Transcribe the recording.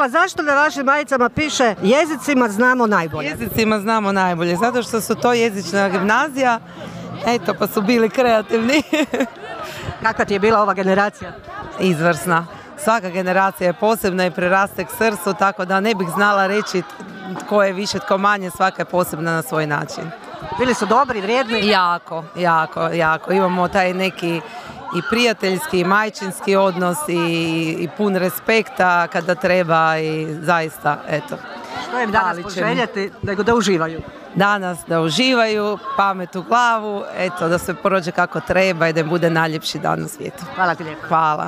pitala zašto na vašim majicama piše jezicima znamo najbolje. Jezicima znamo najbolje, zato što su to jezična gimnazija, eto pa su bili kreativni. Kakva ti je bila ova generacija? Izvrsna. Svaka generacija je posebna i preraste k srcu, tako da ne bih znala reći tko je više, tko manje, svaka je posebna na svoj način. Bili su dobri, vrijedni? Jako. Imamo taj neki i prijateljski i majčinski odnos i pun respekta kada treba i zaista, eto. Što im danas poželjeti, nego da uživaju? Danas da uživaju, pamet u glavu, eto, da se prođe kako treba i da im bude najljepši dan na svijetu. Hvala ti lijepo. Hvala.